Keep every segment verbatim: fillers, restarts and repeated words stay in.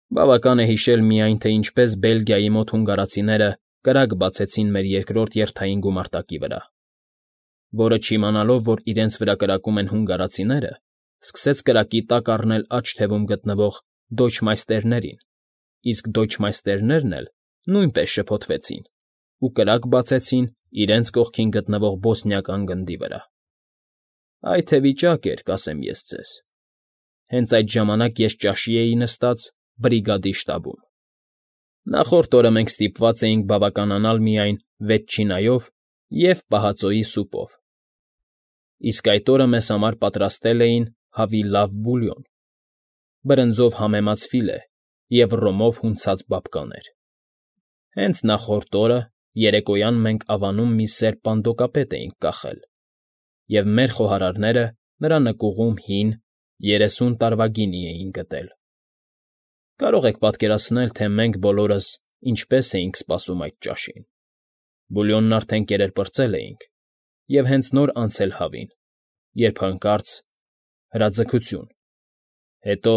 Բավական է հիշել միայն, թե ինչպես Բելգիայի մոտ հունգարացիները կրակ բացեցին մեր երկրորդ երթային գումարտակի վրա, որը, չիմանալով, որ իրենց վրա կրակում են հունգարացիները, սկսեց կրակի տակ առնել աջ թևում գտնվող դոյչմայստերներին, իսկ դոյչմայստերներն էլ նույնպես շփոթվեցին ու կրակ բացեցին իրենց կողքին գտնվող բոսնիական գնդի վրա։ Այ թե վիճակ էր, կասեմ ես ձեզ… Հենց այդ ժամանակ ես ճաշի էի նստած բրիգադի շտաբում. նախորդ օրը մենք ստիպված էինք բավականանալ միայն վետչինայով և պահածոյի սուպով, իսկ այդ օրը մեզ համար պատրաստել էին հավի լավ բուլյոն, բրնձով համեմած ֆիլե և ռոմով հունցած բաբկաներ։ Հենց նախորդ օրը երեկոյան մենք ավանում մի սև պանդոկապետ էինք կախել, և մեր խոհարարները նրա նկուղում հին, երեսուն տարվա գինի էին գտել։ Կարող եք պատկերացնել, թե մենք բոլորս ինչպես էինք սպասում այդ ճաշին. բուլյոնն արդեն կերեր պրծել էինք և հենց նոր անցել հավին, երբ հանկարծ… հրաձգություն, հետո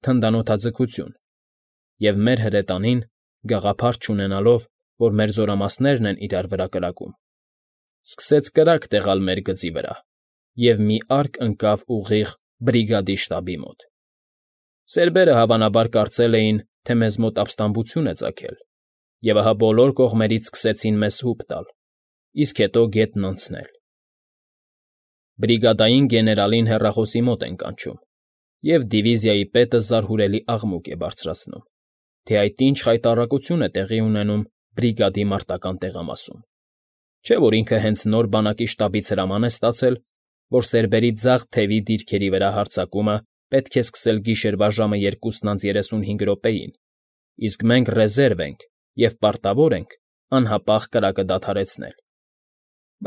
թնդանոթաձգություն, և մեր հրետանին, գաղափար չունենալով, որ մեր զորամասներն են իրար վրա կրակում, սկսեց կրակ տեղալ մեր գծի վրա և մի արկ ընկավ ուղիղ բրիգադի շտաբի մոտ։ Սերբերը հավանաբար կարծել էին, թե մեզ մոտ ապստամբություն է ծագել, և ահա բոլոր կողմերից սկսեցին մեզ հուպ տալ, իսկ հետո գետն անցնել։ Բրիգադային գեներալին հեռախոսի մոտ են կանչում, և դիվիզիայի պետը զարհուրելի աղմուկ է բարձրացնում, թե այդ ինչ խայտառակություն է տեղի ունենում բրիգադի մարտական տեղամասում, չէ՞ որ ինքը հենց նոր բանակի շտաբից հրաման է ստացել, որ սերբերի ձախ թևի դիրքերի վրա հարձակումը պետք է սկսել գիշերվա ժամը երկուսն անց երեսունհինգ րոպեին, իսկ մենք ռեզերվ ենք և պարտավոր ենք անհապաղ կրակը դադարեցնել,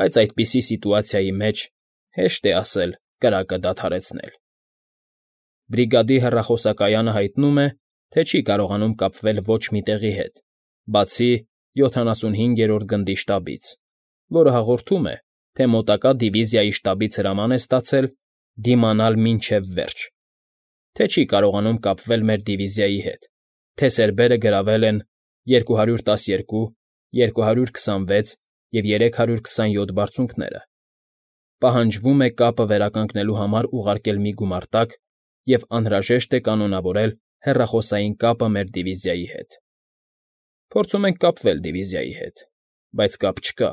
բայց այդպիսի սիտուացիայի մեջ հեշտ է ասել կրակը դադարեցնել։ Բրիգադի հեռախոսակայանը հայտնում է, թե չի կարողանում կապվել ոչ մի տեղի հետ, բացի յոթանասունհինգերորդ գնդի շտաբից, որը հաղորդում է, թե մոտակա դիվիզիայի շտաբից հրաման է ստացել դիմանալ մինչև վերջ, թե չի կարողանում կապվել մեր դիվիզիայի հետ, թե սերբերը գրավել են երկու հարյուր տասներկու, երկու հարյուր քսանվեց և երեք հարյուր քսանյոթ բարձունքները, պահանջվում է կապը վերականգնելու համար ուղարկել մի գումարտակ և անհրաժեշտ է կանոնավորել հեռախոսային կապը մեր դիվիզիայի հետ։ Փորձում ենք կապվել դիվիզիայի հետ, բայց կապ չկա,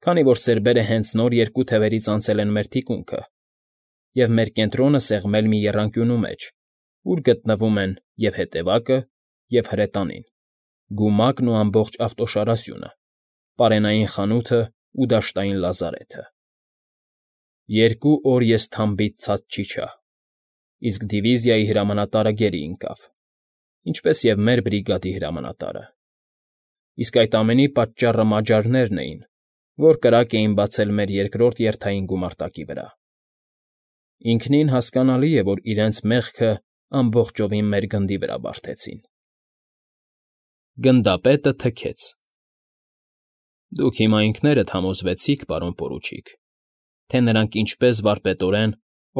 քանի որ սերբերը հենց նոր երկու թևերից անցել են մեր թիկունքը և մեր կենտրոնը սեղմել մի եռանկյունու մեջ, ուր գտնվում են և՛ հետևակը, և՛ հրետանին, գումակն ու ամբողջ ավտոշարասյունը, պարենային խանութն ու դաշտային լազարեթը։ Երկու օր ես թամբից ցած չիջա, իսկ դիվիզիայի հրամանատարը գերի ընկավ, ինչպես և մեր բրիգադի հրամանատարը, իսկ այդ ամենի պատճառը մաջարներն էին, որ կրակ էին բացել մեր երկրորդ երթային գումարտակի վրա։ Ինքնին հասկանալի է, որ իրենց մեղքը ամբողջովին մեր գնդի վրա բարդեցին։ Գնդապետը թքեց։ Դուք հիմա ինքներդ համոզվեցիք, պարոն պորուչիկ, թե նրանք ինչպես վարպետորեն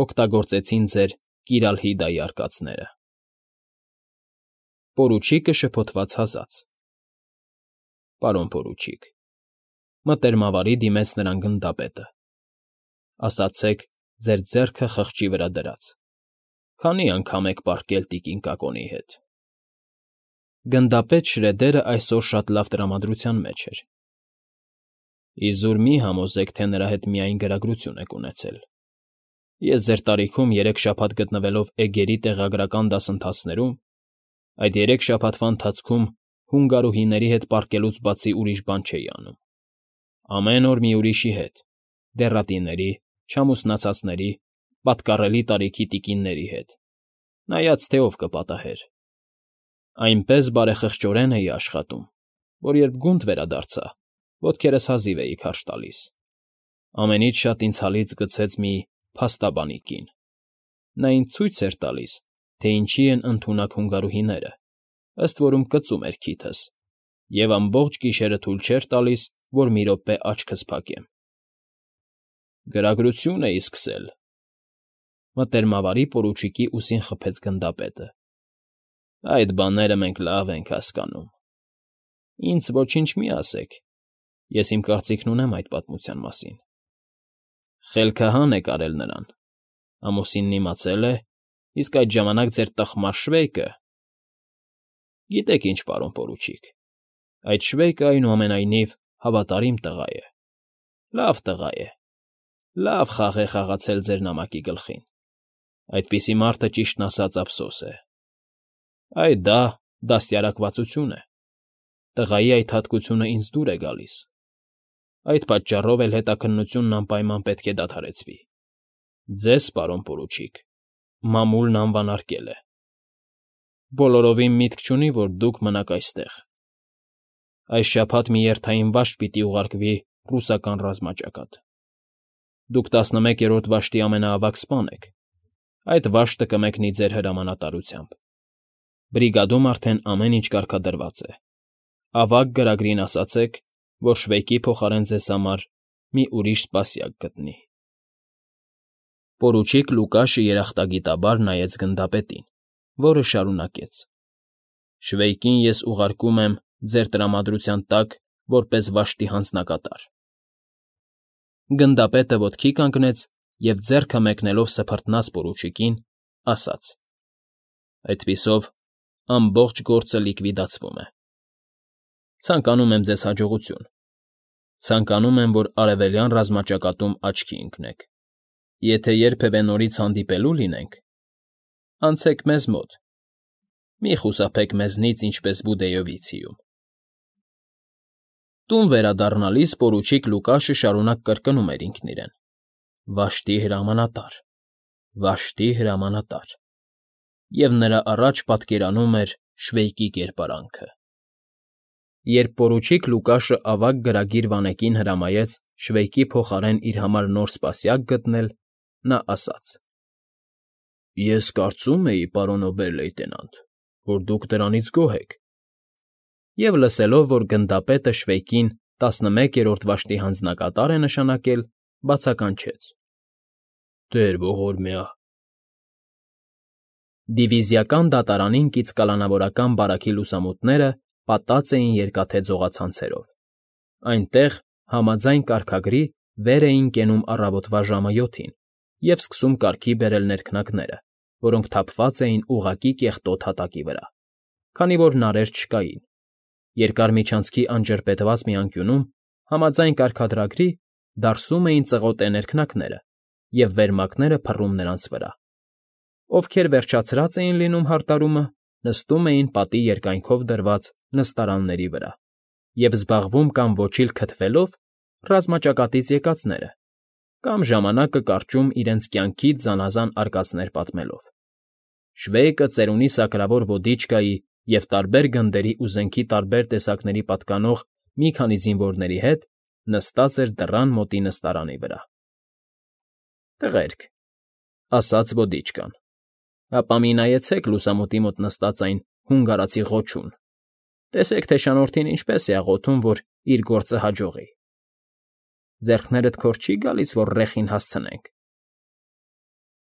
օգտագործեցին ձեր Կիրալհիդայի արկածները… Պորուչիկը շփոթված հազաց։ Պարոն պորուչիկ, մտերմավարի դիմեց նրան գնդապետը, ասացեք ձեր ձեռքը խղճի վրա դրած, քանի՞ անգամ եք պառկել տիկին Կակոնի հետ… Գնդապետ Շրեդերը այսօր շատ լավ տրամադրության մեջ էր։ Իզուր մի համոզեք, թե նրա հետ միայն գրագրություն եք ունեցել… Ես ձեր տարիքում երեք շաբաթ գտնվելով էգերի տեղագրական դասընթացներում, այդ երեք շաբաթվա ընթացքում հունգարուհիների հետ պառկելուց բացի ուրիշ բան չէի անում, ամեն օր մի ուրիշի հետ, դեռատիների, չամուսնացածների, պատկառելի տարիքի տիկինների հետ, նայած թե ով կպատահեր… Այնպես բարեխղճորեն էի աշխատում, որ երբ գունդ վերադարձա, ոտքերս հազիվ էի քարշ տալիս… Ամենից շատ ինձ հալից գցեց մի փաստաբանի կին. նա ինձ ցույց էր տալիս, թե ինչի են ընդունակ հունգարուհիները, ըստ որում կծում էր քիթս, և ամբողջ գիշերը թույլ չէր տալիս, որ մի րոպե աչքս փակեմ։ ֊ Գրագրություն էի սկսել,֊ մտերմավարի պորուչիկի ուսին խփեց գնդապետը։ Այդ բաները մենք լավ ենք հասկանում։ Ինձ ոչինչ մի ասեք, ես իմ կարծիքն ունեմ այդ պատմության մասին։ Խելքահան եք արել նրան, ամուսինն իմացել է, իսկ այդ ժամանակ ձեր տխմար Շվեյկը… Գիտեք ինչ, պարոն պորուչիկ, այդ Շվեյկը, այնուամենայնիվ, հավատարիմ տղա է, լավ տղա է, լավ խաղ է խաղացել ձեր նամակի գլխին, այդպիսի մարդը, ճիշտն ասած, ափսոս է։ Այ դա դաստիարակվածություն է, տղայի այդ հատկությունը ինձ դուր է գալիս, այդ պատճառով էլ հետաքննությունն անպայման պետք է դադարեցվի։ Ձեզ, պարոն պորուչիկ, մամուլն անվանարկել է։ Բոլորովին միտք չունի, որ դուք մնաք այստեղ։ Այս շաբաթ մի երթային վաշտ պիտի ուղարկվի ռուսական ռազմաճակատ։ Դուք տասնմեկերորդ վաշտի ամենաավագ սպան եք, այդ վաշտը կմեկնի ձեր հրամանատարությամբ։ Բրիգադում արդեն ամեն ինչ կարգադրված է։ Ավագ գրագրին ասացեք, որ Շվեյկի փոխարեն ձեզ համար մի ուրիշ սպասյակ գտնի։ Պորուչիկ Լուկաշը երախտագիտաբար նայեց գնդապետին, որը շարունակեց. Շվեյկին ես ուղարկում եմ ձեր տրամադրության տակ որպես վաշտի հանձնակատար։ Գնդապետը ոտքի կանգնեց և ձեռքը մեկնելով սփռտնաց պորուչիկին, ասաց. Այդպիսով ամբողջ գործը լիկվիդացվում է։ Ցանկանում եմ ձեզ հաջողություն։ Ցանկանում եմ, որ արևելյան ռազմաճակատում աչքի ընկնեք։ Եթե երբևէ նորից հանդիպելու լինենք, անցեք մեզ մոտ, մի խուսափեք մեզնից, ինչպես Բուդեյովիցիում։ Տուն վերադառնալիս պորուչիկ Լուկաշը շարունակ կրկնում էր ինքն իրեն. Վաշտի հրամանատար, վաշտի հրամանատար, և նրա առաջ պատկերանում էր Շվեյկի կերպարանքը։ Երբ պորուչիկ Լուկաշը ավագ գրագիր վանեկին հրամայեց Շվեյկի փոխարեն իր համար նոր սպասյակ գտնել, նա ասաց. Ես կարծում էի, պարոն օբեր֊լեյտենանտ, որ դուք դրանից գոհ եք։ Եվ լսելով, որ գնդապետը Շվեյկին տասնմեկերորդ վաշտի հանձնակատար է նշանակել, բացականչեց. Տեր ողորմյա… Դիվիզիական դատարանին կից կալանավորական բարաքի լուսամուտները պատած էին երկաթե ձողացանցերով։ Այնտեղ, համաձայն կարգագրի, վեր էին կենում առավոտվա ժամը յոթին և սկսում կարգի բերել ներքնակները, որոնք թափված էին ուղղակի կեղտոտ հատակի վրա, քանի որ նարեր չկային։ Երկար միջանցքի անջրպետված մի անկյունում, համաձայն կարգադրագրի, դարսում էին ծղոտե ներքնակները և վերմակները փռում նրանց վրա։ Ովքեր վերջացրած էին լինում հարդարումը, նստում էին պատի երկայնքով դրված նստարանների վրա և զբաղվում կամ ոչիլ քթվելով ռազմաճակատից եկածները, կամ ժամանակը կարճում իրենց կյանքից զանազան արկածներ պատմելով։ Շվեյկը ծերունի սակրավոր ոդիչկայի և տարբեր գնդերի ու զենքի տարբեր տեսակների պատկանող մի քանի զինվորների հետ նստած էր դռան մոտի նստարանի վրա։ Տղերք, ասաց ոդիչկան, ապա մի նայեցեք լուսամուտի մոտ նստած այն հունգարացի ղոչուն, տեսեք, թե շանորդին ինչպես է աղոթում, որ իր գործը հաջողի։ Ձեռքներդ քոր չի՞ գալիս, որ ռեխին հասցնենք։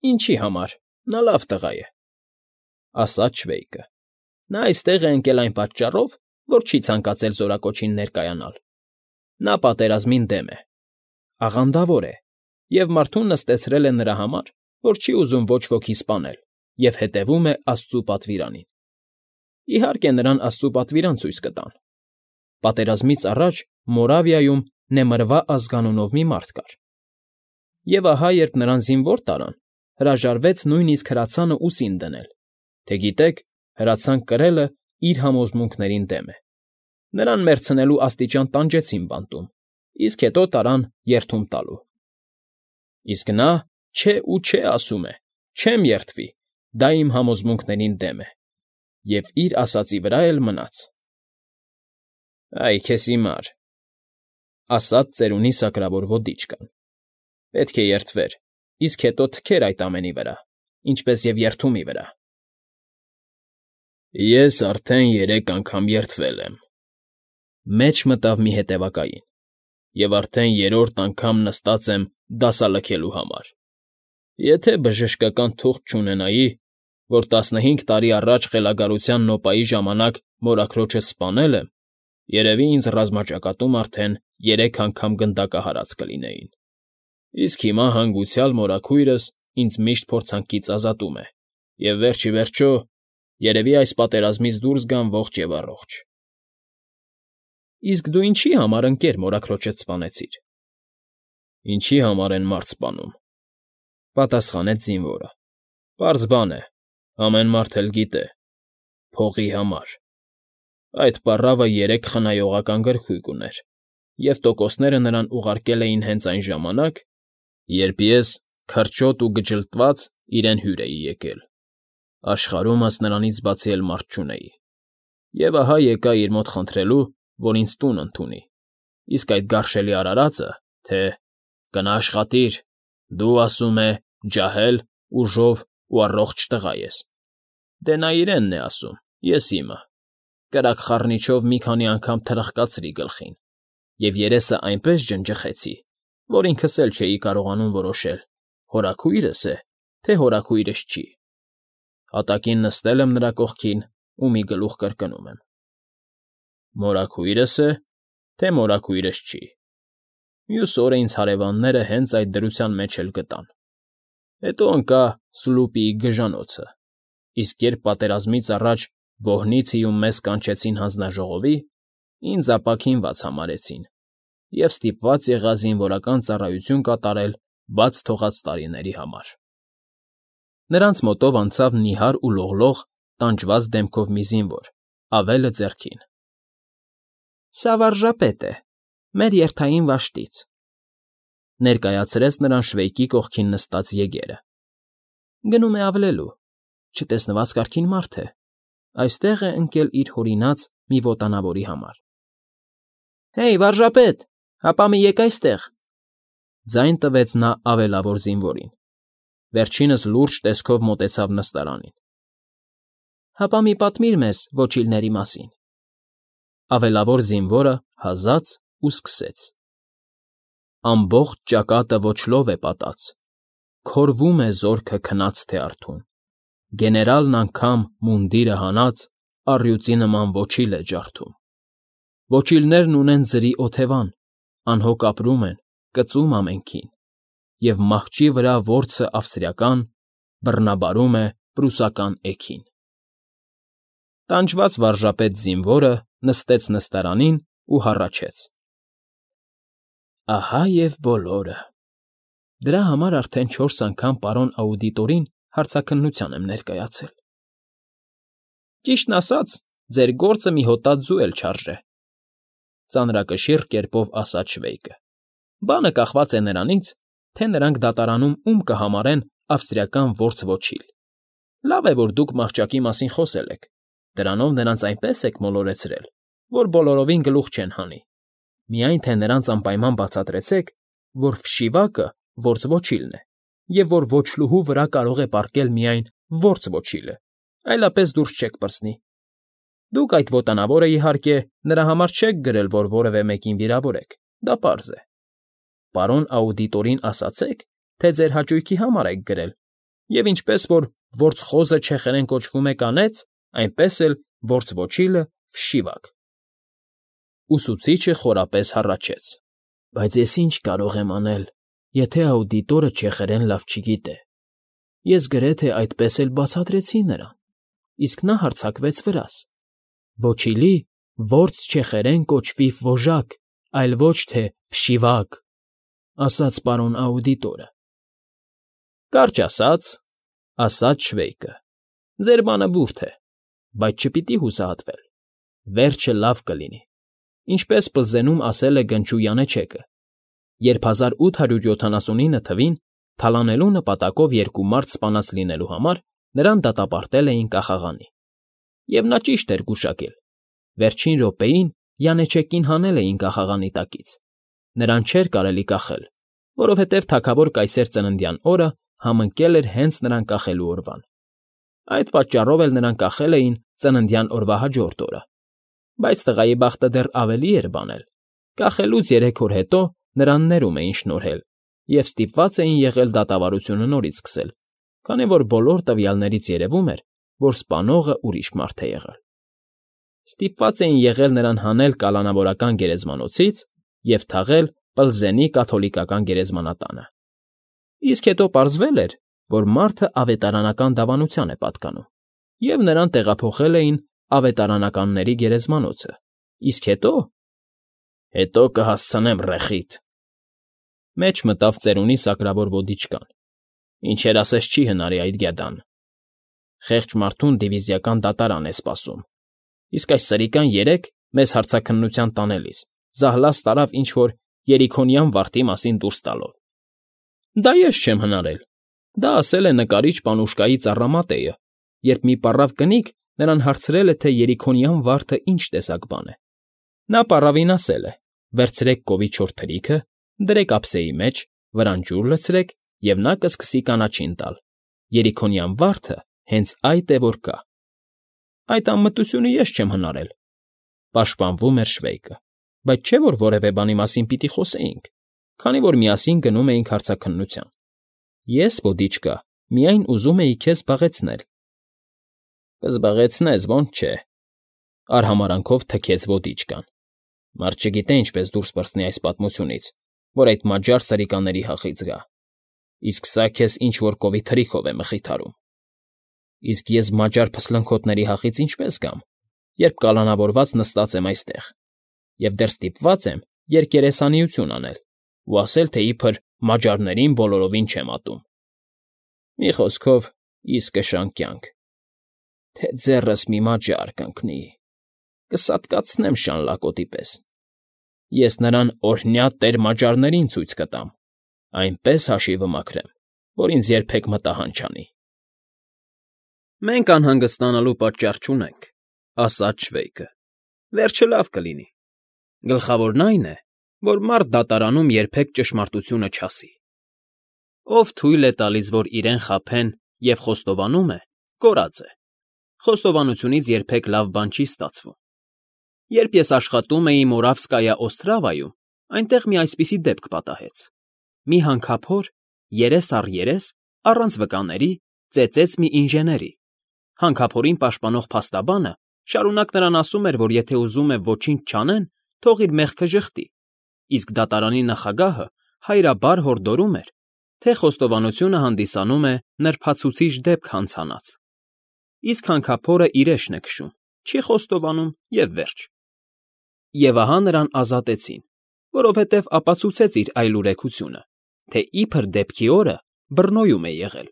Ինչի համար, նա լավ տղա է, ասաց Շվեյկը։ Նա այստեղ է ընկել այն պատճառով, որ չի ցանկացել զորակոչին ներկայանալ։ Նա պատերազմին դեմ է, աղանդավոր է և մարդուն նստեցրել է նրա համար, որ չի ուզում ոչ ոքի սպանել և հետևում է աստծու պատվիրանին։ Իհարկե, նրան աստծու պատվիրան ցույց կտան։ Պատերազմից առաջ Մորավիայում Նեմրվա ազգանունով մի մարդ կար։ Եվ ահա, երբ նրան զինվոր տարան, հրաժարվեց նույնիսկ հրացանը ուսին դնել, թե գիտեք, հրացան կրելը իր համոզմունքներին դեմ է։ Նրան մեռցնելու աստիճան տանջեցին բանտում, իսկ հետո տարան երդում տալու։ Իսկ նա չէ ու չէ ասում է, չեմ երդվի, դա իմ համոզմունքներին դեմ է, և իր ասածի վրա էլ մնաց։ Այ քեզ հիմար, ասաց ծերունի սակրավոր ոդիչկան, պետք է երդվեր, իսկ հետո թքեր այդ ամենի վրա, ինչպես և երդումի վրա։ Ես արդեն երեք անգամ երդվել եմ, մեջ մտավ մի հետևակային, և արդեն երրորդ անգամ նստած եմ դասալքելու համար։ Եթե բժշկական թուղթ չունենայի, որ տասնհինգ տարի առաջ խելագարության նոպայի ժամանակ մորաքրոջս սպանել եմ, երևի ինձ ռազմաճակատում արդեն երեք անգամ գնդակահարած կլինեին, իսկ հիմա հանգուցյալ մորաքույրս ինձ միշտ փորձանքից ազատում է և վերջ ի վերջո, երևի այս պատերազմից դուրս գամ ողջ և առողջ։ ֊ Իսկ դու ինչի՞ համար, ընկեր, մորաքրոջդ սպանեցիր։ ֊ Ինչի՞ համար են մարդ սպանում,֊ պատասխանեց զինվորը։֊ Պարզ բան է, ամեն մարդ էլ գիտե՝ փողի համար։ Այդ պառավը երեք խնայողական գլխույկ ուներ, և տոկոսները նրան ուղարկել էին հենց այն ժամանակ, երբ ես, քրչոտ ու գջլտված, իրեն հյուր էի եկել, աշխարհումս նրանից բացի էլ մարդ չունեի, և ահա եկա իր մոտ խնդրելու, որ ինձ տուն ընդունի, իսկ այդ գարշելի արարածը, թե «Կնա աշխատիր, դու, ասում է, ջահել, ուժով ու առողջ տղա ես», դե նա իրենն է ասում, ես իմը, կրակ խառնիչով մի քանի անգամ թրխկացրի գլխին և երեսը այնպես ջնջխեցի, որ ինքս էլ չէի կարողանում որոշել՝ հորաքույրս է, թե հորաքույրս չի. հատակին նստել եմ նրա կողքին ու մի գլուխ կրկնում եմ. «Մորաքույրս է, թե մորաքույրս չի»։ Մյուս օրը ինձ հարևանները հենց այդ դրության մեջ էլ գտան։ Հետո ընկա Սլուպիի գժանոցը, իսկ երբ պատերազմից առաջ Բոհնիցիում մեզ կանչեցին հանձնաժողովի, ինձ ապաքինված համարեցին և ստիպված եղա զինվորական ծառայություն կատարել բաց թողած տարիների համար։ Նրանց մոտով անցավ նիհար ու լողլող, տանջված դեմքով մի զինվոր, ավելը ձեռքին։ ֊ Սա վարժապետ է, մեր երթային վաշտից,֊ ներկայացրեց նրան շվեյկի կողքին նստած եգերը։ ֊ Գնում է ավլելու, չտեսնված կարգին մարդ է, այստեղ է ընկել իր հորինած մի ոտանավորի համար։ ֊ Հեյ, վարժապետ, հապա մի եկ այստեղ,֊ ձայն տվեց նա ավելավոր զինվորին։ Վերջինս լուրջ տեսքով մոտեցավ նստարանին։ ֊ Հապա մի պատմիր մեզ ոչիլների մասին։ Ավելավոր զինվորը հազաց ու սկսեց. Ամբողջ ճակատը ոչլով է պատած, քորվում է զորքը քնած թե արթուն, գեներալն անգամ մունդիրը հանած առյուծի նման ոչիլ է ջարդում։ Ոչիլներն ունեն ձրի օթևան, անհոգ ապրում են, կծում ամենքին, և մահճի վրա որսը ավստրիական, բռնաբարում է պրուսական էգին։ Տանջված վարժապետ զինվորը նստեց նստարանին ու հառաչեց. Ահա և բոլորը։ Դրա համար արդեն չորս անգամ պարոն աուդիտորին հարցաքննության եմ ներկայացել։ Ճիշտն ասած, ձեր գործը մի հոտած ձու էլ չարժե,֊ ծանրակշիռ կերպով ասաց Շվեյկը։ Բանը կախված է նրանից, թե նրանք դատարանում ում կհամարեն ավստրիական որս ոչիլ։ Լավ է, որ դուք մահճակի մասին խոսել եք, դրանով նրանց այնպես եք մոլորեցրել, որ բոլորովին գլուխ չեն հանի, միայն թե նրանց անպայման բացատրեցեք, որ Ֆշիվակը որս ոչիլն է, և որ ոչլուհու վրա կարող է պառկել միայն որս ոչիլը, այլապես դուրս չեք պրծնի։ Դուք այդ ոտանավորը, իհարկե, նրա համար չեք գրել, որ որևէ մեկին վիրավորեք, դա պարզ է։ Պարոն աուդիտորին ասացեք, թե ձեր հաճույքի համար եք գրել, և ինչպես որ որս խոզը չեխերեն կոչվում է կանեց, այնպես էլ որս ոչիլը՝ Ֆշիվակ։ Ուսուցիչը խորապես հառաչեց. Բայց ես ինչ կարող եմ անել, եթե աուդիտորը չեխերեն լավ չգիտե։ Ես գրեթե այդպես էլ բացատրեցի նրան, իսկ նա հարձակվեց վրաս. Ոչիլի որս չեխերեն կոչվի Վոժակ, այլ ոչ թե Ֆշիվակ, ասաց պարոն աուդիտորը։ Կարճ ասած, ասաց Շվեյկը, ձեր բանը բուրդ է, բայց չպիտի հուսահատվել, վերջը լավ կլինի, ինչպես Պլզենում ասել է գնչու յանեչեկը, երբ հազար ութ հարյուր յոթանասունինը թվին թալանելու նպատակով երկու մարդ սպանած լինելու համար նրան դատապարտել էին կախաղանի։ Եվ նա ճիշտ էր գուշակել. վերջին րոպեին յանեչեկին հանել էին կախաղանի տակից, նրան չէր կարելի կախել, որովհետև թագավոր կայսեր ծննդյան օրը համընկել էր հենց նրան կախելու օրվան։ Այդ պատճառով էլ նրան կախել էին ծննդյան օրվա հաջորդ օրը, բայց տղայի բախտը դեռ ավելի էր բանել. կախելուց երեք օր հետո նրան ներում էին շնորհել և ստիպված էին եղել դատավարությունը նորից սկսել, քանի որ բոլոր տվյալներից երևում էր, որ սպանողը ուրիշ մարդ է եղել։ Ստիպված էին եղել նրան հանել կալանավորական գերեզմանոցից և թաղել Պլզենի կաթոլիկական գերեզմանատանը։ Իսկ հետո պարզվել էր, որ մարդը ավետարանական դավանության է պատկանում, և նրան տեղափոխել էին ավետարանականների գերեզմանոցը, իսկ հետո… հետո կհասցնեմ ռեխիդ… Մեջ մտավ ծերունի սակրավոր ոդիչկան։ Ինչեր ասես չի հնարի այդ գետան… Խեղճ մարդուն դիվիզիական դատարան է սպասում, իսկ այս սրիկան երեկ, մեզ հարցաքննության տանելիս, զահլաց տարավ ինչ֊որ երիքոնյան վարդի մասին դուրս տալով։ Դա ես չեմ հնարել, դա ասել է նկարիչ Պանուշկայի ծառամատեյը, երբ մի պառավ կնիկ նրան հարցրել է, թե երիքոնյան վարդը ինչ տեսակ բան է։ Նա պառավին ասել է. «Վերցրեք կովի չորս թրիքը, դրեք ափսեի մեջ, վրան ջուր լցրեք, և նա կսկսի կանաչին տալ։ Երիքոնյան վարդը հենց այդ է, որ կա»։ Այդ անմտությունը ես չեմ հնարել,֊ պաշտպանվում էր Շվեյկը,֊ բայց չէ՞ որ որևէ բանի մասին պիտի խոսեինք, քանի որ միասին գնում էինք հարցաքննության։ Ես, ոդիչկա, միայն ուզում էի քեզ զբաղեցնել։ Կզբաղեցնես, ո՞նց չէ,֊ արհամարհանքով թքեց ոդիչկան։ Մարդ չգիտե ինչպես դուրս պրծնի այս պատմությունից, որ այդ մաջար սրիկաների հախից գա։ Իսկ սա քեզ ինչ֊որ կովի թրիքով է մխիթարում։ Իսկ ես մաջար փսլնքոթների հախից ինչպե՞ս գամ, երբ կալանավորված նստած եմ այստեղ, և դեռ ստիպված եմ երկերեսանիություն անել ու ասել, թե իբր մաջարներին բոլորովին չեմ ատում։ Մի խոսքով, իսկը շան կյանք… Թե ձեռս մի մաջար կընկնի, կսատկացնեմ շան լակոտի պես։ Ես նրան օրհնյա տեր մաջարներին ցույց կտամ, այնպես հաշիվը մաքրեմ, որ ինձ երբեք մտահան չանի։ ֊ Մենք անհանգստանալու պատճառ չունենք,֊ ասաց Շվեյկը,֊ վերջը լավ կլինի։ Գլխավորն այն է, որ մարդ դատարանում երբեք ճշմարտությունը չասի։ Ով թույլ է տալիս, որ իրեն խաբեն և խոստովանում է, կորած է, խոստովանությունից երբեք լավ բան չի ստացվում։ Երբ ես աշխատում էի Մորավսկայա Օստրավայում, այնտեղ մի այսպիսի դեպք պատահեց։ Մի հանքափոր, երես առ երես, առանց վկաների, ծեծեց մի ինժեների։ Հանքափորին պաշտպանող փաստաբանը շարունակ նրան ասում էր, որ եթե ուզում է ոչինչ չանեն, թող իր մեղքը ժխտի, իսկ դատարանի նախագահը հայրաբար հորդորում էր, թե խոստովանությունը հանդիսանում է նրբացուցիչ դեպք հանցանած։ Իսկ հանքափորը իրեշն է քշում, չի խոստովանում և վերջ։ Եվ ահա նրան ազատեցին, որովհետև ապացուցեց իր այլուրեքությունը, թե իբր դեպքի օրը Բռնոյում է եղել։